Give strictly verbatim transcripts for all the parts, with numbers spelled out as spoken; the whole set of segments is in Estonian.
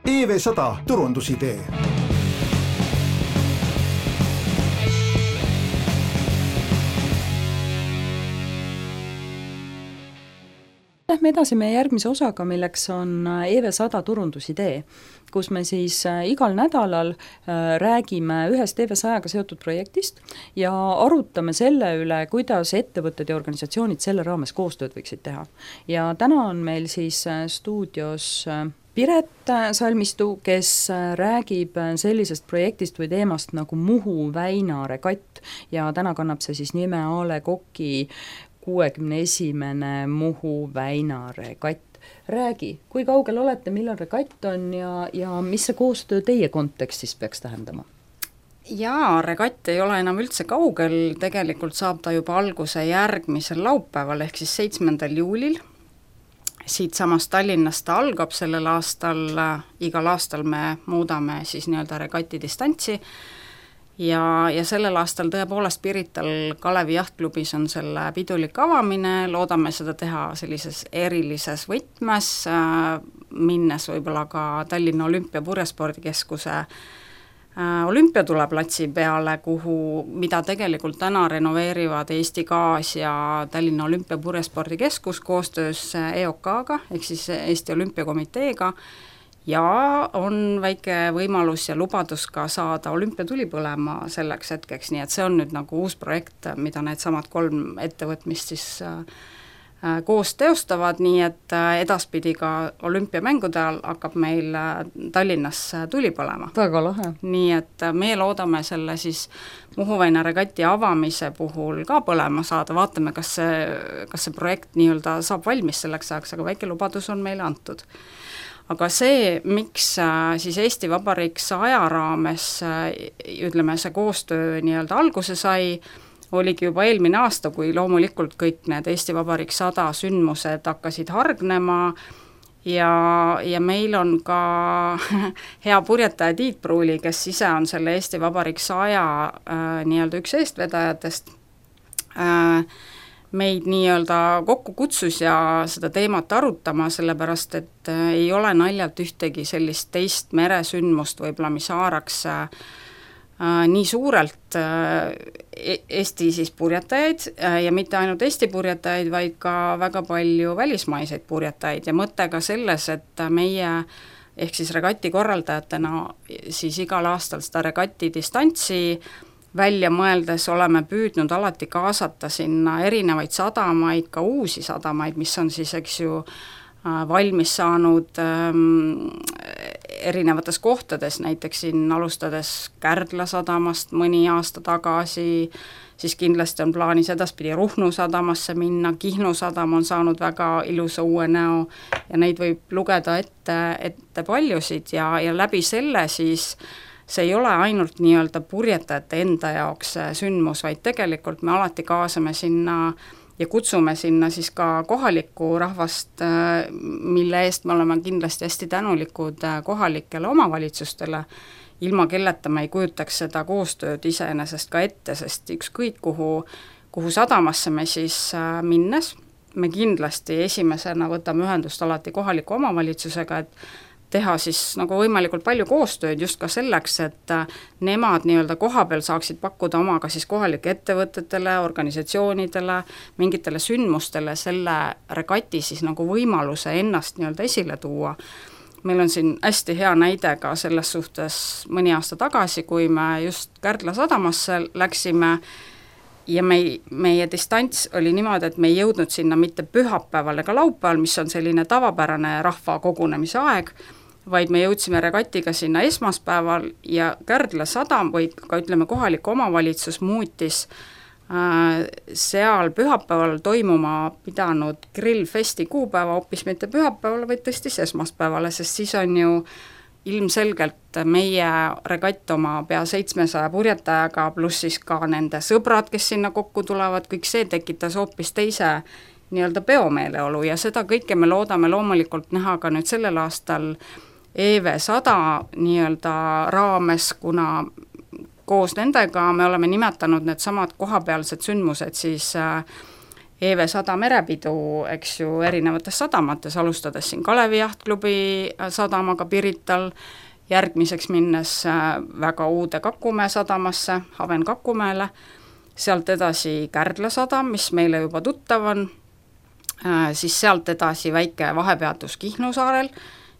E V sada turundusidee. Lähme edasi meie järgmise osaga, milleks on E V sada turundusidee, kus me siis igal nädalal räägime ühest E V sajaga seotud projektist ja arutame selle üle, kuidas ettevõtted ja organisatsioonid selle raames koostööd võiksid teha. Ja täna on meil siis stuudios Piret Salmistu, kes räägib sellisest projektist või teemast nagu Muhu Väina regatt ja täna kannab see siis nime A Le Coq'i kuuekümne esimene Muhu Väina regatt. Räägi, kui kaugel olete, millal regatt on ja, ja mis see koostöö teie kontekstis peaks tähendama? Jaa, regatt ei ole enam üldse kaugel, tegelikult saab ta juba alguse järgmisel laupäeval ehk siis seitsmendal juulil. Siit samast Tallinnast ta algab sellel aastal, igal aastal me muudame siis nii-öelda regati distantsi ja, ja sellel aastal tõepoolest Pirital Kalevi jahtklubis on selle pidulik avamine, loodame seda teha sellises erilises võtmes, minnes võib-olla ka Tallinna Olümpia Purjespordikeskuse olümpiatuleplatsi peale, kuhu, mida tegelikult täna renoveerivad Eesti Gaas ja Tallinna Olümpia Purjespordikeskus koostöös E O K-ga, ehk siis Eesti Olümpiakomiteega, ja on väike võimalus ja lubadus ka saada olümpiatuli põlema selleks hetkeks, nii et see on nüüd nagu uus projekt, mida need samad kolm ettevõtmist siis koos teostavad, nii et edaspidi ka olümpiamängude ajal hakkab meil Tallinnas tuli põlema. Väga lahe. Nii et me loodame selle siis Muhu Väina regati avamise puhul ka põlema saada, vaatame, kas see, kas see projekt nii-öelda saab valmis selleks ajaks, aga väike lubadus on meile antud. Aga see, miks siis Eesti Vabariik saja raames, ütleme, see koostöö nii-öelda alguse sai, oligi juba eelmine aasta, kui loomulikult kõik need Eesti Vabariik sada sündmused hakkasid hargnema ja, ja meil on ka hea purjetaja Tiit Pruuli, kes ise on selle Eesti Vabariik saja äh, nii-öelda üks eestvedajatest, äh, meid nii-öelda kokku kutsus ja seda teemat arutama, sellepärast et äh, ei ole naljalt ühtegi sellist teist meresündmust võib-olla, mis haaraks äh, nii suurelt Eesti siis purjetajaid ja mitte ainult Eesti purjetajaid, vaid ka väga palju välismaiseid purjetajaid ja mõte ka selles, et meie ehk siis regati korraldajatena siis igal aastal seda regati distantsi välja mõeldes oleme püüdnud alati kaasata sinna erinevaid sadamaid, ka uusi sadamaid, mis on siis, eks ju, valmis saanud ähm, erinevates kohtades, näiteks siin alustades Kärdla sadamast mõni aasta tagasi, siis kindlasti on plaanis edaspidi Ruhnu sadamasse minna, Kihnu sadam on saanud väga ilusa uue näo ja neid võib lugeda ette, ette paljusid ja, ja läbi selle siis see ei ole ainult nii-öelda purjetajate enda jaoks sündmus, vaid tegelikult me alati kaasame sinna ja kutsume sinna siis ka kohalikku rahvast, mille eest me oleme kindlasti hästi tänulikud kohalikele omavalitsustele, ilma kelleta me ei kujutaks seda koostööd iseenesest ka ette, sest ükskõik kuhu, kuhu sadamasse me siis minnes, me kindlasti esimesena võtame ühendust alati kohaliku omavalitsusega, et teha siis nagu võimalikult palju koostööd just ka selleks, et nemad nii-öelda kohapeal saaksid pakkuda omaga siis kohalike ettevõtetele, organisatsioonidele, mingitele sündmustele selle regati siis nagu võimaluse ennast nii-öelda esile tuua. Meil on siin hästi hea näide ka selles suhtes mõni aasta tagasi, kui me just Kärdla sadamasse läksime ja me, meie distants oli niimoodi, et me ei jõudnud sinna mitte pühapäeval ega laupäeval, mis on selline tavapärane rahva kogunemise aeg, vaid me jõudsime regatiga sinna esmaspäeval ja Kärdla sadam või ka ütleme kohalik omavalitsus muutis äh, seal pühapäeval toimuma pidanud grillfesti kuupäeva hoopis mitte pühapäeval, vaid tõstis esmaspäevale, sest siis on ju ilmselgelt meie regatt oma pea seitsmesaja purjetajaga, pluss siis ka nende sõbrad, kes sinna kokku tulevad, kõik see tekitas hoopis teise nii-öelda peomeeleolu ja seda kõike me loodame loomulikult näha ka nüüd sellel aastal E V sada nii-öelda raames, kuna koos nendega me oleme nimetanud need samad kohapealsed sündmused siis E V sada merepidu, eks ju, erinevates sadamates, alustades siin Kalevi jahtklubi sadamaga Pirital, järgmiseks minnes väga uude Kakumäe sadamasse, Haven Kakumäele, sealt edasi Kärdla sadam, mis meile juba tuttav on, siis sealt edasi väike vahepeatus Kihnu saarel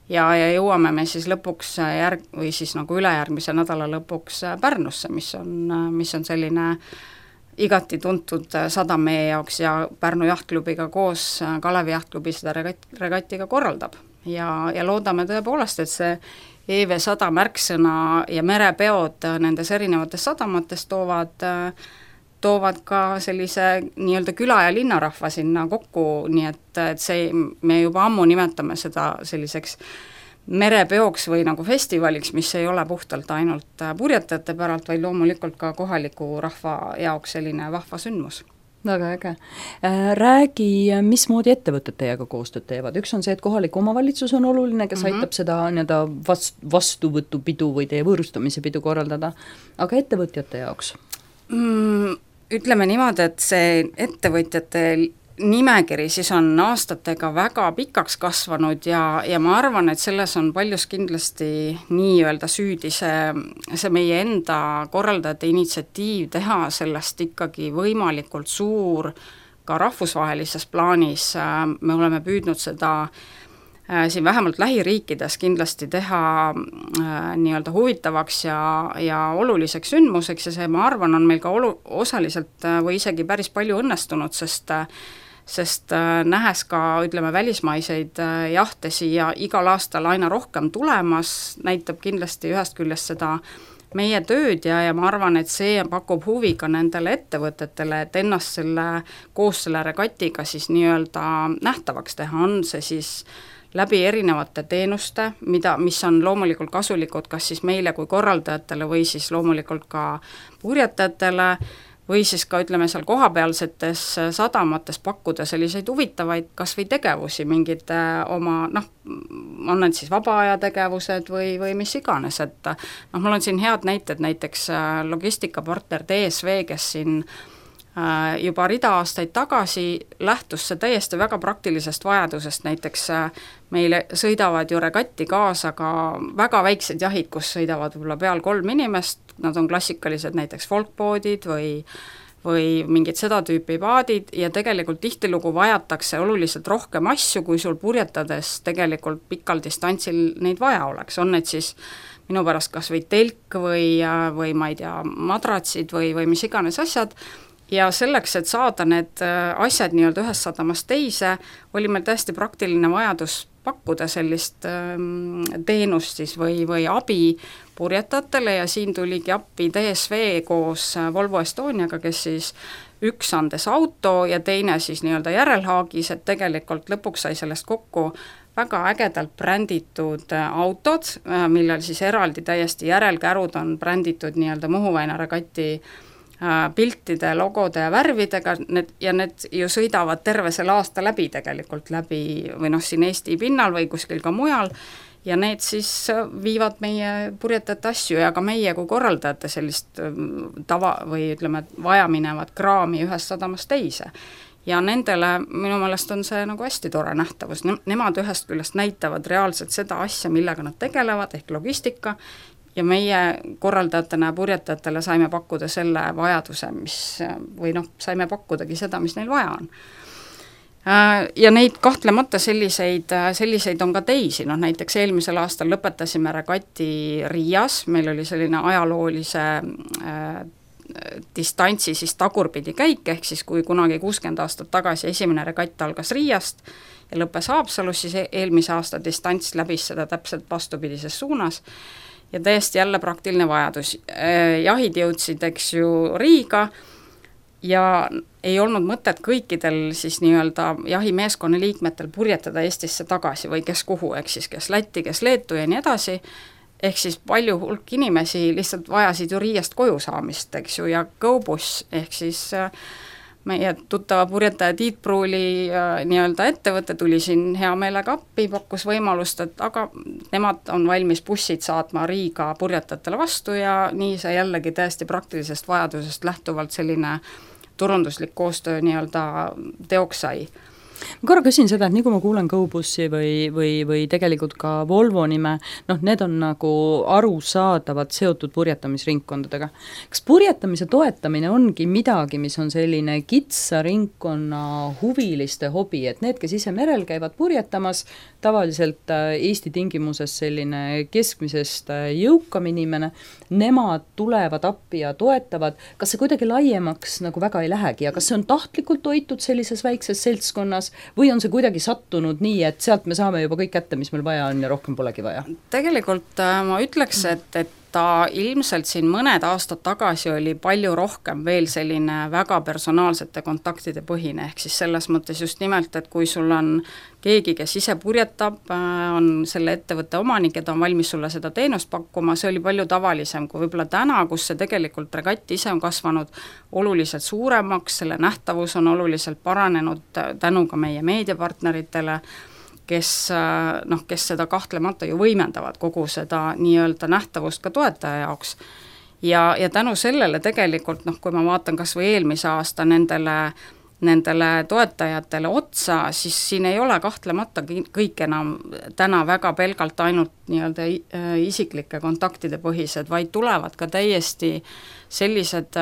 ja, ja jõuame me siis lõpuks järg- või siis nagu ülejärgmise nädala lõpuks Pärnusse, mis on, mis on selline igati tuntud sadam meie jaoks ja Pärnu jahtklubiga koos Kalevi jahtklubi seda regat, regatiga korraldab. Ja, ja loodame tõepoolest, et see E V sada märksõna ja merepeod nendes erinevates sadamates toovad, toovad ka sellise nii-öelda küla- ja linnarahva sinna kokku, nii et, et see, me juba ammu nimetame seda selliseks merepeoks või nagu festivaliks, mis ei ole puhtalt ainult purjetajate päralt, vaid loomulikult ka kohaliku rahva jaoks selline vahva sündmus. Väga äge. Räägi, mismoodi ettevõtted teiega koostööd teevad? Üks on see, et kohalik omavalitsus on oluline, kes mm-hmm. aitab seda nii-öelda vast, vastuvõtupidu või teie võõrustamise pidu korraldada, aga ettevõtjate jaoks? Mm, ütleme niimoodi, et see ettevõtjate nimekiri siis on aastatega väga pikaks kasvanud ja, ja ma arvan, et selles on paljus kindlasti nii-öelda süüdi see, see meie enda korraldajate initsiatiiv teha sellest ikkagi võimalikult suur ka rahvusvahelises plaanis. Me oleme püüdnud seda siin vähemalt lähiriikides kindlasti teha nii-öelda huvitavaks ja, ja oluliseks sündmuseks ja see, ma arvan, on meil ka olu- osaliselt või isegi päris palju õnnestunud, sest sest nähes ka, ütleme, välismaiseid jahte siia igal aastal aina rohkem tulemas, näitab kindlasti ühest küljest seda meie tööd ja, ja ma arvan, et see pakub huvi ka nendele ettevõtetele, et ennast selle, koos selle regatiga siis nii-öelda nähtavaks teha, on see siis läbi erinevate teenuste, mida, mis on loomulikult kasulikud kas siis meile kui korraldajatele või siis loomulikult ka purjetajatele, või siis ka ütleme seal kohapealsetes sadamates pakkuda selliseid huvitavaid kas või tegevusi, mingid oma, noh, on need siis vabaaja tegevused või, või mis iganes, et noh, mul on siin head näited, näiteks logistikapartner D S V, kes siin juba rida aastaid tagasi lähtus see täiesti väga praktilisest vajadusest, näiteks meile sõidavad ju regatti kaasa ka väga väiksed jahid, kus sõidavad võib-olla peal kolm inimest, nad on klassikalised näiteks folkboodid või, või mingid seda tüüpi paadid ja tegelikult tihtilugu vajatakse oluliselt rohkem asju, kui sul purjetades tegelikult pikal distantsil neid vaja oleks, on need siis minu pärast kas või telk või, või ma ei tea, madratsid või, või mis iganes asjad. Ja selleks, et saada need asjad nii-öelda ühest sadamast teise, oli meil täiesti praktiline vajadus pakkuda sellist ähm, teenust siis või, või abi purjetajatele ja siin tuligi appi D S V koos Volvo Estoniaga, kes siis üks andes auto ja teine siis nii-öelda järelhaagis, et tegelikult lõpuks sai sellest kokku väga ägedalt bränditud autod, millel siis eraldi täiesti järelkärud on bränditud nii-öelda Muhu väina regati piltide, logode ja värvidega, need, ja need ju sõidavad terve selle aasta läbi tegelikult läbi või noh, siin Eesti pinnal või kuskil ka mujal ja need siis viivad meie purjetajate asju ja ka meie kui korraldajate sellist tava või ütleme, vajaminevat kraami ühest sadamast teise. Ja nendele minu meelest on see nagu hästi tore nähtavus, nemad ühest küljest näitavad reaalselt seda asja, millega nad tegelevad, ehk logistika, ja meie korraldajatena ja purjetajatele saime pakkuda selle vajaduse, mis, või noh, saime pakkudagi seda, mis neil vaja on. Ja neid kahtlemata selliseid, selliseid on ka teisi, noh näiteks eelmisel aastal lõpetasime regati Riias, meil oli selline ajaloolise äh, distantsi siis tagurpidi käik, ehk siis kui kunagi kuuskümmend aastat tagasi esimene regatt algas Riiast ja lõppes Haapsalus, siis eelmise aasta distants läbis seda täpselt vastupidises suunas ja täiesti jälle praktiline vajadus. Jahid jõudsid, eks ju, Riiga ja ei olnud mõtet kõikidel siis nii-öelda jahimeeskonna liikmetel purjetada Eestisse tagasi või kes kuhu, ehk siis kes Lätti, kes Leetu ja nii edasi, ehk siis palju hulk inimesi lihtsalt vajasid ju Riiast koju saamist, eks ju, ja GoBus, ehk siis meie tuttava purjetaja Tiit Pruuli nii-öelda ettevõte tuli siin hea meelega appi, pakkus võimalust, et aga nemad on valmis bussid saatma Riiga purjetajatele vastu ja nii see jällegi täiesti praktilisest vajadusest lähtuvalt selline turunduslik koostöö nii-öelda teoks sai. ma korra küsin seda, et nii kui ma kuulen GoBussi või, või, või tegelikult ka Volvo nime, noh, need on nagu arusaadavad seotud purjetamisringkondadega. Kas purjetamise toetamine ongi midagi, mis on selline kitsa ringkonna huviliste hobi, et need, kes ise merel käivad purjetamas, tavaliselt Eesti tingimuses selline keskmisest jõukam inimene, nemad tulevad appi ja toetavad, kas see kuidagi laiemaks nagu väga ei lähegi ja kas see on tahtlikult hoitud sellises väikses seltskonnas või on see kuidagi sattunud nii, et sealt me saame juba kõik kätte, mis meil vaja on ja rohkem polegi vaja? Tegelikult ma ütleks, et, et ta ilmselt siin mõned aastad tagasi oli palju rohkem veel selline väga personaalsete kontaktide põhine, ehk siis selles mõttes just nimelt, et kui sul on keegi, kes ise purjetab, on selle ettevõtte omanik ja ta on valmis sulle seda teenust pakkuma, see oli palju tavalisem kui võib-olla täna, kus see tegelikult regatt ise on kasvanud oluliselt suuremaks, selle nähtavus on oluliselt paranenud tänu ka meie meediapartneritele, kes, noh, kes seda kahtlemata ju võimendavad kogu seda nii-öelda nähtavust ka toetaja jaoks. Ja, ja tänu sellele tegelikult, noh, kui ma vaatan kas või eelmise aasta nendele, nendele toetajatele otsa, siis siin ei ole kahtlemata kõik enam täna väga pelgalt ainult nii-öelda isiklike kontaktide põhised, vaid tulevad ka täiesti sellised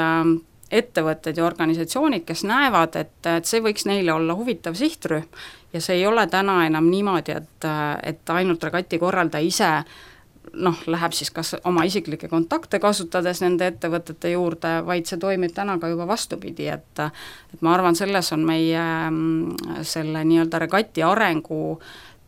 ettevõtted ja organisatsioonid, kes näevad, et, et see võiks neile olla huvitav sihtrühm ja see ei ole täna enam niimoodi, et, et ainult regati korraldaja ise noh, läheb siis kas oma isiklikke kontakte kasutades nende ettevõtete juurde, vaid see toimib täna ka juba vastupidi, et, et ma arvan, selles on meie selle nii-öelda regati arengu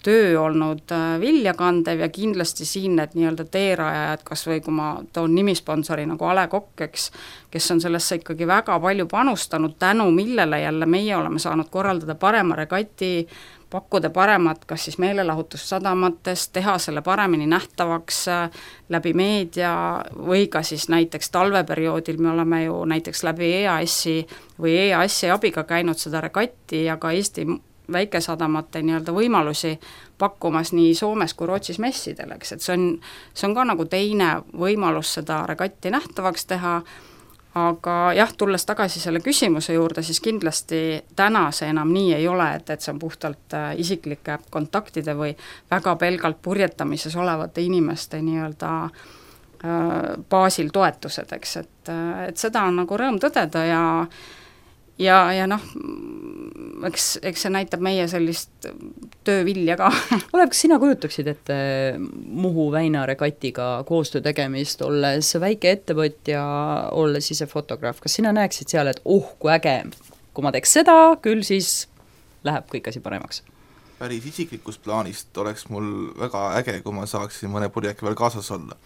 töö olnud viljakandev ja kindlasti siin need nii-öelda teerajajad, kas või kui ma toon nimisponsori nagu A Le Coq, eks, kes on sellesse ikkagi väga palju panustanud, tänu millele jälle meie oleme saanud korraldada parema regati, pakkuda paremat kas siis meelelahutussadamates, teha selle paremini nähtavaks läbi meedia või ka siis näiteks talveperioodil me oleme ju näiteks läbi E A S-i või E A S-i abiga käinud seda regatti ja ka Eesti väikesadamate nii-öelda võimalusi pakkumas nii Soomes kui Rootsis messidel, eks, et see on, see on ka nagu teine võimalus seda regatti nähtavaks teha, aga jah, tulles tagasi selle küsimuse juurde, siis kindlasti täna see enam nii ei ole, et, et see on puhtalt isiklike kontaktide või väga pelgalt purjetamises olevate inimeste nii-öelda baasil toetused, eks, et, et seda on nagu rõõm tõdeda ja ja, ja noh, eks, eks see näitab meie sellist töövilja ka. Olev, kas sina kujutaksid ette Muhu Väina regatiga koostöö tegemist, olles väike ettevõtja, olles ise fotograaf, kas sina näeksid seal, et oh, kui äge, kui ma teeks seda, küll siis läheb kõik asi paremaks? Päris isiklikust plaanist oleks mul väga äge, kui ma saaksin mõne purjeki veel kaasas olla.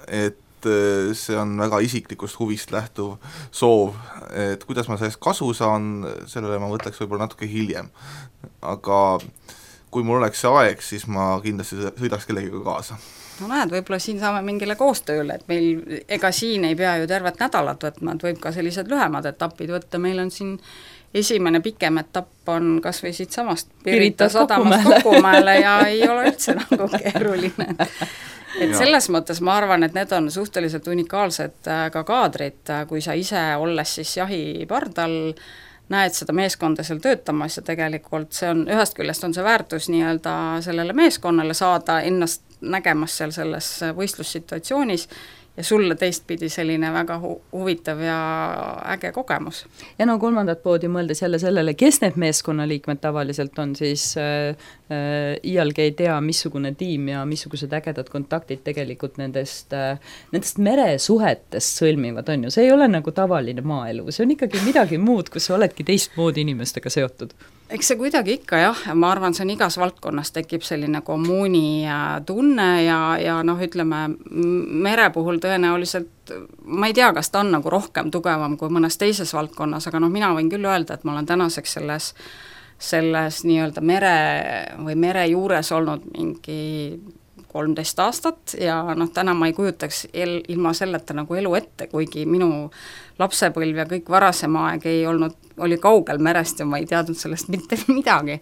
Et see on väga isiklikust huvist lähtuv soov, et kuidas ma sellest kasu saan, sellele ma mõtleks võib-olla natuke hiljem. Aga kui mul oleks see aeg, siis ma kindlasti sõidaks kellegiga kaasa. No näed, võib-olla siin saame mingile koostööle, et meil, ega siin ei pea ju tervet nädalat võtma, et võib ka sellised lühemad etapid võtta, meil on siin esimene pikem etapp on kas või siit samast Pirita sadamast Kokumäele ja ei ole üldse nagu keeruline. Et selles mõttes ma arvan, et need on suhteliselt unikaalsed ka kaadrid, kui sa ise olles siis jahipardal näed seda meeskonda seal töötamas ja tegelikult see on, ühest küljest on see väärtus nii-öelda sellele meeskonnale saada ennast nägemas seal selles võistlussituatsioonis ja sulle teistpidi selline väga hu- huvitav ja äge kogemus. Ja no kolmandat poodi mõeldes jälle sellele, kes need meeskonnaliikmed tavaliselt on, siis äh, äh, iialgi ei tea, missugune tiim ja missugused ägedad kontaktid tegelikult nendest, äh, nendest meresuhetest sõlmivad on ju. See ei ole nagu tavaline maaelu, see on ikkagi midagi muud, kus sa oledki teistmoodi inimestega seotud. Eks see kuidagi ikka jah, ma arvan, see on igas valdkonnas tekib selline kommuuni tunne ja, ja noh, ütleme, mere puhul tõenäoliselt, ma ei tea, kas ta on nagu rohkem tugevam kui mõnes teises valdkonnas, aga noh, mina võin küll öelda, et ma olen tänaseks selles, selles nii-öelda mere või mere juures olnud mingi kolmteist aastat ja noh, täna ma ei kujutaks el, ilma selleta nagu elu ette, kuigi minu lapsepõlv ja kõik varasem aeg ei olnud, oli kaugel merest ja ma ei teadnud sellest mitte midagi.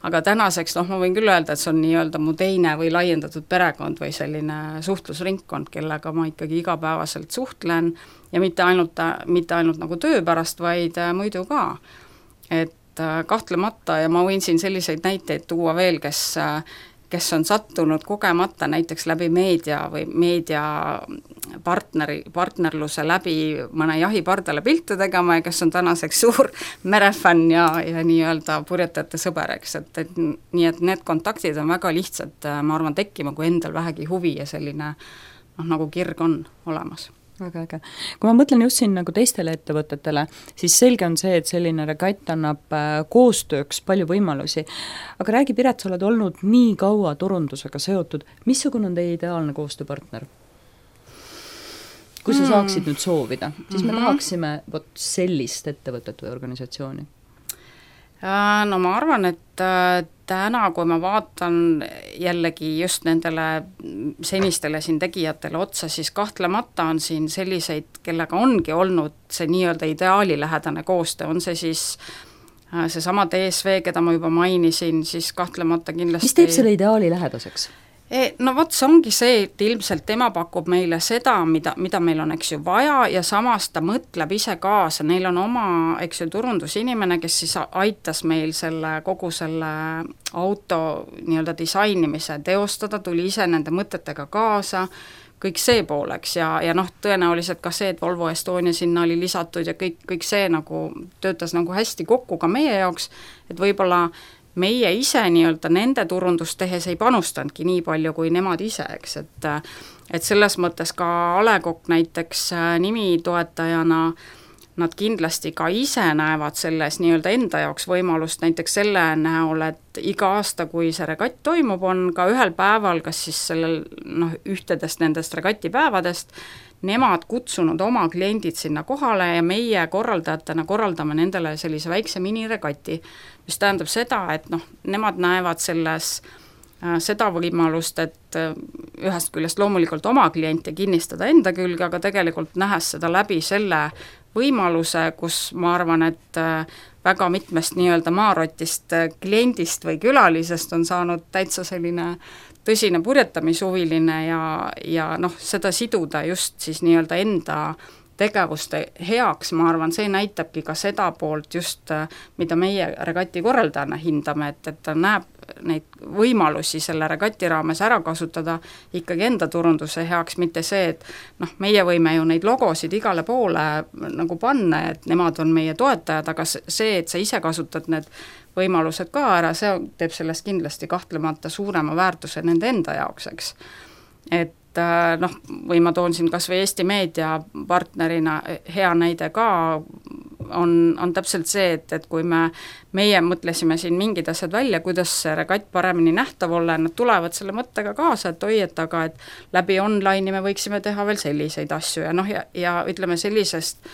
Aga tänaseks, noh, ma võin küll öelda, et see on nii-öelda mu teine või laiendatud perekond või selline suhtlusringkond, kellega ma ikkagi igapäevaselt suhtlen ja mitte ainult, mitte ainult nagu töö pärast, vaid muidu ka. Et kahtlemata ja ma võin siin selliseid näiteid tuua veel, kes kes on sattunud kogemata näiteks läbi meedia või meedia partneri, partnerluse läbi mõne jahipardale pilte tegema ja kes on tänaseks suur merefänn ja, ja nii-öelda purjetajate sõber, eks, et, et nii, et need kontaktid on väga lihtsad, ma arvan, tekkima, kui endal vähegi huvi ja selline noh, nagu kirg on olemas. Väga äge. Kui ma mõtlen just siin nagu teistele ettevõtetele, siis selge on see, et selline regatt annab koostööks palju võimalusi. Aga räägi, Piret, sa oled olnud nii kaua turundusega seotud, missugune on teie ideaalne koostööpartner? Kui sa saaksid nüüd soovida, siis me tahaksime võt sellist ettevõtet või organisatsiooni. No ma arvan, et täna, kui ma vaatan jällegi just nendele senistele siin tegijatele otsa, siis kahtlemata on siin selliseid, kellega ongi olnud see nii-öelda ideaalilähedane koostöö, on see siis seesama D S V, keda ma juba mainisin, siis kahtlemata kindlasti... Mis teeb selle ideaali lähedaseks? No vot, see ongi see, et ilmselt tema pakub meile seda, mida, mida meil on, eks ju, vaja ja samas ta mõtleb ise kaasa, neil on oma, eks ju, turundusinimene, kes siis aitas meil selle, kogu selle auto nii-öelda disainimise teostada, tuli ise nende mõtetega kaasa, kõik see pooleks ja, ja noh, tõenäoliselt ka see, et Volvo Estonia sinna oli lisatud ja kõik, kõik see nagu töötas nagu hästi kokku ka meie jaoks, et võib-olla meie ise nii-öelda nende turundust tehes ei panustanudki nii palju kui nemad ise, eks, et et selles mõttes ka A Le Coq näiteks nimitoetajana nad kindlasti ka ise näevad selles nii-öelda enda jaoks võimalust näiteks selle näol, et iga aasta, kui see regatt toimub, on ka ühel päeval, kas siis sellel noh, ühtedest nendest regatipäevadest, nemad kutsunud oma kliendid sinna kohale ja meie korraldajatena korraldame nendele sellise väikse miniregati, mis tähendab seda, et noh, nemad näevad selles äh, seda võimalust, et äh, ühest küljest loomulikult oma kliente kinnistada enda külge, aga tegelikult nähes seda läbi selle võimaluse, kus ma arvan, et äh, väga mitmest nii-öelda maarotist kliendist või külalisest on saanud täitsa selline tõsine purjetamishuviline ja, ja noh, seda siduda just siis nii-öelda enda tegevuste heaks, ma arvan, see näitabki ka seda poolt just, mida meie regati korraldajana hindame, et, et ta näeb neid võimalusi selle regati raames ära kasutada ikkagi enda turunduse heaks, mitte see, et noh, meie võime ju neid logosid igale poole nagu panna, et nemad on meie toetajad, aga see, et sa ise kasutad need võimalused ka ära, see teeb sellest kindlasti kahtlemata suurema väärtuse nende enda jaoks, eks. Et noh, või ma toon siin kas või Eesti Meedia partnerina hea näide ka, on, on täpselt see, et, et kui me, meie mõtlesime siin mingid asjad välja, kuidas see regatt paremini nähtav olla, nad tulevad selle mõttega kaasa, et oi, et aga et läbi online'i me võiksime teha veel selliseid asju ja noh, ja, ja ütleme sellisest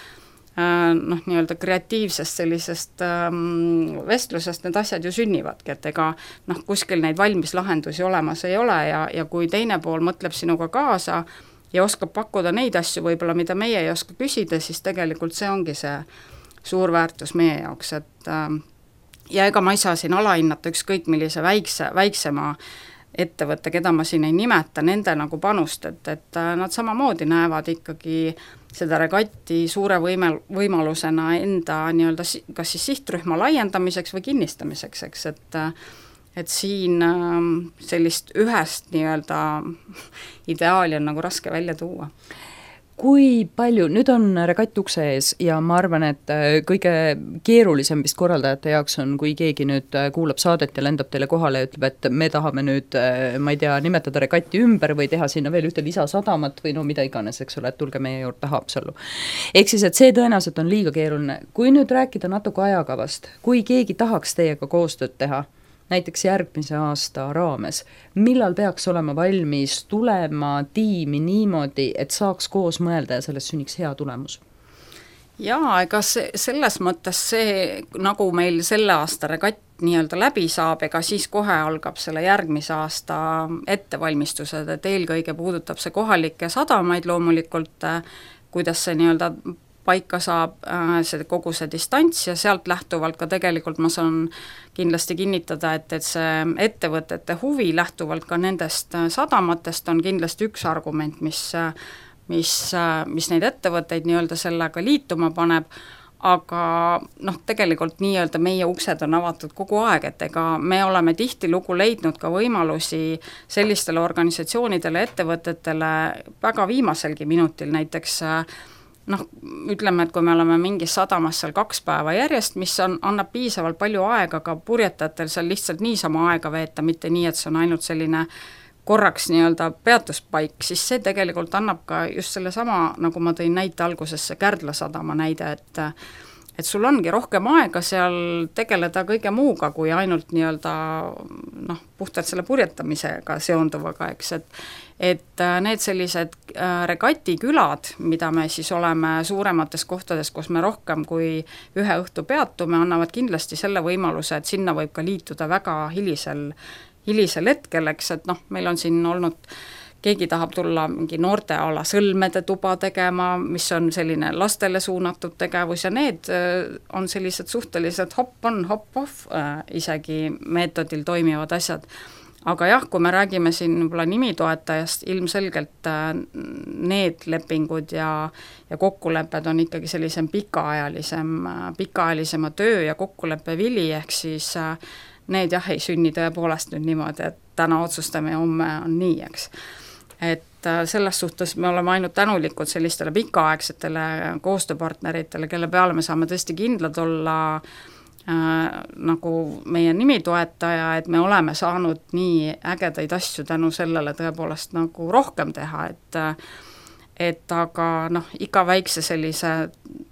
noh, nii-öelda kreatiivsest sellisest ähm, vestlusest need asjad ju sünnivadki, et ega noh, kuskil neid valmis lahendusi olemas ei ole ja, ja kui teine pool mõtleb sinuga kaasa ja oskab pakkuda neid asju võib-olla, mida meie ei oska küsida, siis tegelikult see ongi see suur väärtus meie jaoks, et ähm, ja ega ma ei saa siin alahinnata ükskõik millise väikse, väiksema ettevõtte, keda ma siin ei nimeta, nende nagu panust, et, et nad samamoodi näevad ikkagi seda regatti suure võime, võimalusena enda nii-öelda kas siis sihtrühma laiendamiseks või kinnistamiseks, eks, et et siin sellist ühest nii-öelda ideaali on nagu raske välja tuua. Kui palju, nüüd on regatt ukse ees ja ma arvan, et kõige keerulisem vist korraldajate jaoks on, kui keegi nüüd kuulab saadet ja lendab teile kohale ja ütleb, et me tahame nüüd, ma ei tea, nimetada regatti ümber või teha sinna veel ühte lisasadamat või no mida iganes, eks ole, et tulge meie juurde Haapsallu. Ehk siis, et see tõenäoliselt on liiga keeruline. Kui nüüd rääkida natuke ajakavast, kui keegi tahaks teiega koostööd teha, näiteks järgmise aasta raames, millal peaks olema valmis tulema tiimi niimoodi, et saaks koos mõelda ja sellest sünniks hea tulemus? Jaa, ega see, selles mõttes see, nagu meil selle aasta regatt nii-öelda läbi saab, ega siis kohe algab selle järgmise aasta ettevalmistused, et eelkõige puudutab see kohalikke sadamaid loomulikult, kuidas see nii-öelda paika saab see kogu see distants ja sealt lähtuvalt ka tegelikult ma saan kindlasti kinnitada, et, et see ettevõtete huvi lähtuvalt ka nendest sadamatest on kindlasti üks argument, mis, mis, mis neid ettevõtteid nii-öelda sellega liituma paneb, aga noh, tegelikult nii-öelda meie uksed on avatud kogu aeg, et ega me oleme tihtilugu leidnud ka võimalusi sellistele organisatsioonidele, ettevõtetele väga viimaselgi minutil, näiteks noh, ütleme, et kui me oleme mingis sadamas seal kaks päeva järjest, mis on, annab piisavalt palju aega ka purjetajatel seal lihtsalt niisama aega veeta, mitte nii, et see on ainult selline korraks nii-öelda peatuspaik, siis see tegelikult annab ka just selle sama, nagu ma tõin näite alguses, see Kärdla sadama näide, et et sul ongi rohkem aega seal tegeleda kõige muuga, kui ainult nii-öelda noh, puhtalt selle purjetamisega seonduvaga, eks, et et need sellised regatikülad, mida me siis oleme suuremates kohtades, kus me rohkem kui ühe õhtu peatume, annavad kindlasti selle võimaluse, et sinna võib ka liituda väga hilisel, hilisel hetkel, eks, et noh, meil on siin olnud keegi tahab tulla mingi noorteala sõlmede tuba tegema, mis on selline lastele suunatud tegevus ja need on sellised suhteliselt hop-on, hop-off isegi meetodil toimivad asjad. Aga jah, kui me räägime siin võib-olla nimitoetajast, ilmselgelt need lepingud ja, ja kokkulepped on ikkagi sellisem pikaajalisem, pikaajalisema töö ja kokkuleppe vili, ehk siis need jah, ei sünni tõepoolest nüüd niimoodi, et täna otsustame ja homme on nii, eks. Et selles suhtes me oleme ainult tänulikud sellistele pikaaegsetele koostööpartneritele, kelle peale me saame tõesti kindlad olla äh, nagu meie nimitoetaja, et me oleme saanud nii ägedaid asju tänu sellele tõepoolest nagu rohkem teha, et et aga noh, iga väikse sellise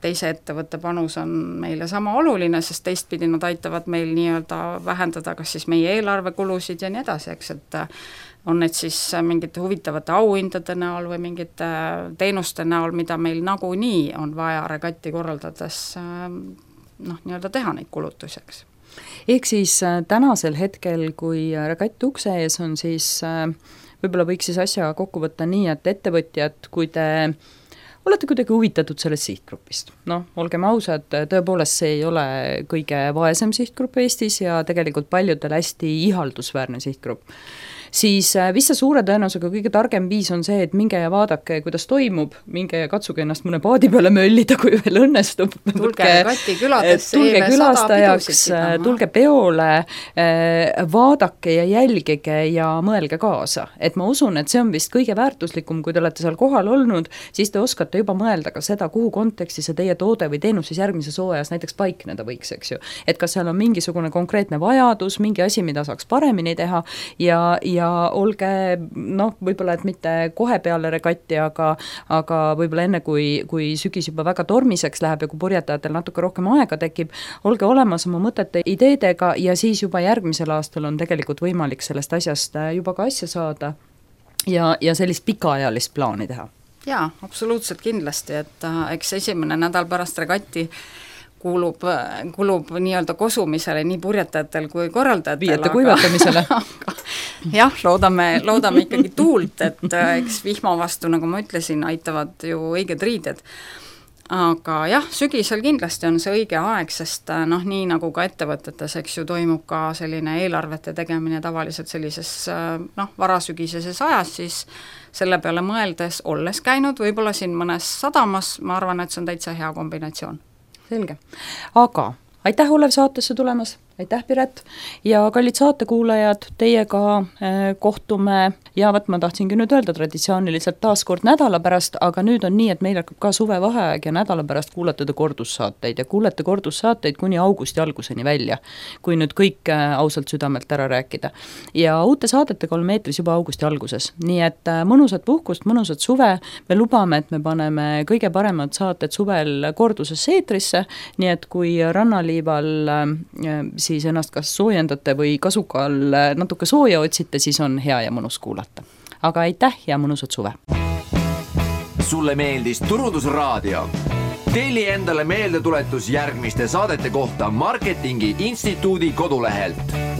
teise ettevõtte panus on meile sama oluline, sest teistpidi nad aitavad meil nii-öelda vähendada kas siis meie eelarvekulusid ja nii edasi, eks, et on need siis mingite huvitavate auhindade näol või mingite teenuste näol, mida meil nagunii on vaja regatti korraldades noh, nii-öelda teha neid kulutuseks. Ehk siis tänasel hetkel, kui regatt ukse ees on, siis võib-olla võiks siis asja kokku võtta nii, et ettevõtjad, kui te olete kuidagi huvitatud sellest sihtgrupist. Noh, olgem ausad, tõepoolest see ei ole kõige vaesem sihtgrupp Eestis ja tegelikult paljudel hästi ihaldusväärne sihtgrupp. Siis vist suure tõenäosusega kõige targem viis on see, et minge ja vaadake, kuidas toimub, minge ja katsuge ennast mõne paadi peale möllida, kui veel õnnestub. Tulge regati küladesse, tulge külastajaks, tulge peole, vaadake ja jälgige ja mõelge kaasa. Et ma usun, et see on vist kõige väärtuslikum, kui te olete seal kohal olnud, siis te oskate juba mõelda ka seda, kuhu konteksti see teie toode või teenus siis järgmises hooajas näiteks paikneda võiks, eks ju. Et kas seal on mingisugune konkreetne vajadus, mingi asi, mida saaks paremini teha ja, ja ja olge, noh, võib-olla et mitte kohe peale regatti, aga, aga võib-olla enne, kui, kui sügis juba väga tormiseks läheb ja kui purjetajatel natuke rohkem aega tekib, olge olemas oma mõtete, ideedega ja siis juba järgmisel aastal on tegelikult võimalik sellest asjast juba ka asja saada ja, ja sellist pikaajalist plaani teha. Jaa, absoluutselt kindlasti, et äh, eks esimene nädal pärast regatti kuulub, kulub nii-öelda kosumisele nii purjetajatel kui korraldajatel. Viiete kuivatamisele. Jah, loodame, loodame ikkagi tuult, et eks vihma vastu, nagu ma ütlesin, aitavad ju õiged riided. Aga jah, sügisel kindlasti on see õige aeg, sest noh, nii nagu ka ettevõtetes, eks ju, toimub ka selline eelarvete tegemine tavaliselt sellises noh, varasügiseses ajas, siis selle peale mõeldes, olles käinud võib-olla siin mõnes sadamas, ma arvan, et see on täitsa hea kombinatsioon. Selge. Aga aitäh, Olev, saatesse tulemas, aitäh, Piret, ja kallid saatekuulajad, teiega eh, kohtume ja võt, ma tahtsingi nüüd öelda traditsiooniliselt taas kord nädala pärast, aga nüüd on nii, et meil hakkab ka suvevaheaeg ja nädala pärast kuulete kordussaateid ja kuulete kordussaateid kuni augusti alguseni välja, kui nüüd kõik eh, ausalt südamelt ära rääkida. Ja uute saadetega oleme eetris juba augusti alguses, nii et eh, mõnusat puhkust, mõnusat suve, me lubame, et me paneme kõige paremad saated suvel kordusesse eetrisse, nii et kui rannaliival eh, siis ennast kas soojendate või kasuka all natuke sooja otsite, siis on hea ja mõnus kuulata. Aga aitäh ja mõnusat suve! Sulle meeldis Turundusraadio? telli endale meeldetuletus järgmiste saadete kohta Marketingi Instituudi kodulehelt.